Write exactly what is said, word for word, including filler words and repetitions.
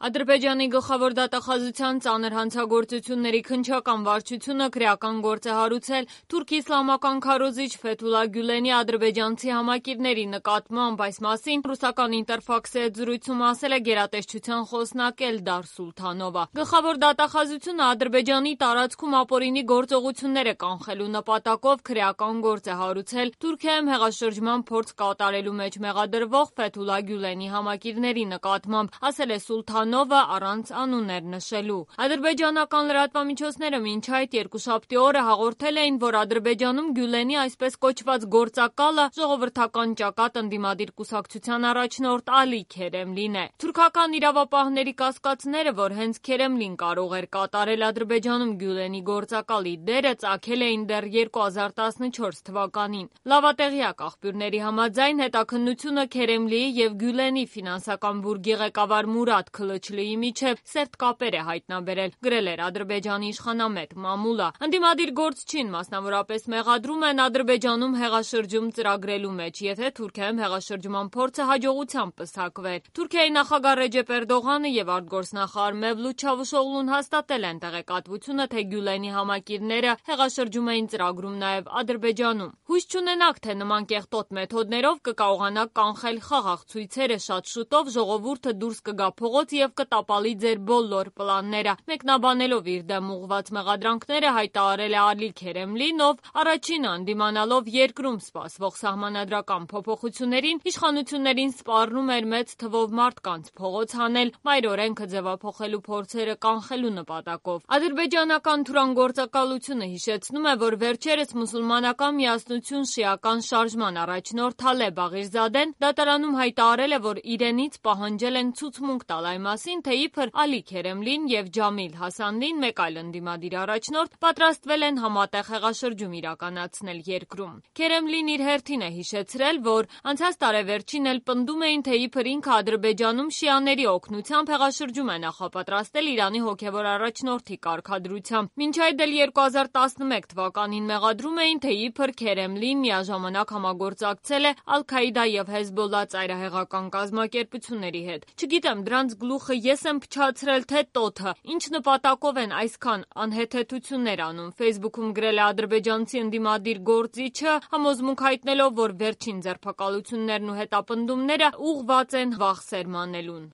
Ադրբեջանի գլխավոր դատախազության ծանր հանցագործությունների քննչական վարչությունը քրեական գործ է հարուցել թուրքի իսլամական քարոզիչ Ֆեթուլա Գյուլենի ադրբեջանցի համակիրների նկատմամբ, այս մասին ռուսական Ինտերֆաքսի հետ զրույցում ասել է գերատեսչության խոսնակ Էլդար Սուլթանովը։ Գլխավոր դատախազությունը Ադրբեջանի տարածքում ապօրինի գործողությունները կանխելու նպատակով քրեական գործ է հարուցել Թուրքիայում հեղաշրջման փորձ կատարելու մեջ մեղադրվող Ֆեթուլա Գյուլենի համակիրների նկատմամբ, ասել է Սուլթանովը առանց անուններ նշելու։ Ադրբեջանական լրատվամիջոցները մինչ այդ երկուշաբթի օրը հաղորդել էին, որ Ադրբեջանում Գյուլենի այսպես կոչված գործակալը ժողովրդական ճակատ ընդդիմադիր կուսակցության առաջնորդ Ալի Քերեմլին է։ Թուրքական իրավապահների կասկածները, որ հենց Քերեմլին կարող էր կատարել Ադրբեջանում Գյուլենի գործակալի դերը, ծագել էին դեռ երկու հազար տասնչորս թվականին։ Լավատեղյակ աղբյուրների համաձայն հետաքննությունը Քերեմլիի եւ Գյուլենի ֆինանսական բուրգի ղեկավար Մուրադ Քլչլիի միջև սերտ կապեր է հայտնաբերել, գրել էր Ադրբեջանի իշխանամետ Մամուլա։ Ընդդիմադիր գործչին մասնավորապես մեղադրում են Ադրբեջանում հեղաշրջում ծրագրելու մեջ, եթե Թուրքիայում հեղաշրջման փորձը հաջողությամբ պսակվեր։ Թուրքիայի նախագահ Ռեջեփ Էրդողանը եւ արտգործնախարար Մևլութ Չավուշօղլուն հաստատել են տեղեկատվությունը, թե Գյուլենի համակիրները հեղաշրջում էին ծրագրում նաեւ Ադրբեջանում։ Հույս չունենաք, թե նման կեղտոտ մեթոդներով կկարողանաք կանխել խաղաղ ցույցերը, շատ շուտով ժողովուրդը դուրս կգա փողոց եւ կտապալի ձեր բոլոր պլանները։ Մեկնաբանելով իր դեմ ուղղված մեղադրանքները հայտարարել է Ալի Քերեմլին, ով առաջինը ընդդիմանալով երկրում սպասվող սահմանադրական փոփոխություններին, իշխանություններին սպառնում էր մեծ թվով մարդկանց փողոց հանել մայր օրենքը ձևափոխելու փորձերը կանխելու նպատակով։ Ադրբեջանական թուրան գործակալությունը հիշեցնում է, որ վերջերս մուսուլմանական միասնություն շիական շարժման առաջնորդ Թալեբ Աղիրզադեն դատարանում հայտարարել է, որ իրենից պահանջել են ցուցմունք տալ այն մասին, թե իբր Ալի Քերեմլին եւ Ջամիլ Հասանլին, մեկ այլ ընդդիմադիր առաջնորդ, պատրաստվել են համատեղ հեղաշրջում իրականացնել երկրում։ Քերեմլին իր հերթին է հիշեցրել, որ անցած տարեվերջին էլ պնդում էին, թե իբր ինքը Ադրբեջանում շիաների օգնությամբ հեղաշրջում է նախապատրաստել Իրանի հոգևոր առաջնորդի կարգադրությամբ։ Մինչ այդ էլ երկու հազար տասնմեկ թվականին մեղադրում էին, թե իբր Քերեմլին միաժամանակ համագործակցել է Ալ-Քաիդա եւ Հեզբոլլա ծայրահեղական կազմակերպությունների հետ։ Չգիտեմ, դրանց գլուխը ես եմ փչացրել, թե տոթը, ինչ նպատակով են այսքան անհեթեթություններ անում, Facebook-ում գրել է ադրբեջանցի ընդդիմադիր գործիչը, համոզմունք հայտնելով, որ վերջին ձերբակալություններն ու հետապնդումները ուղղված են վախ սերմանելուն։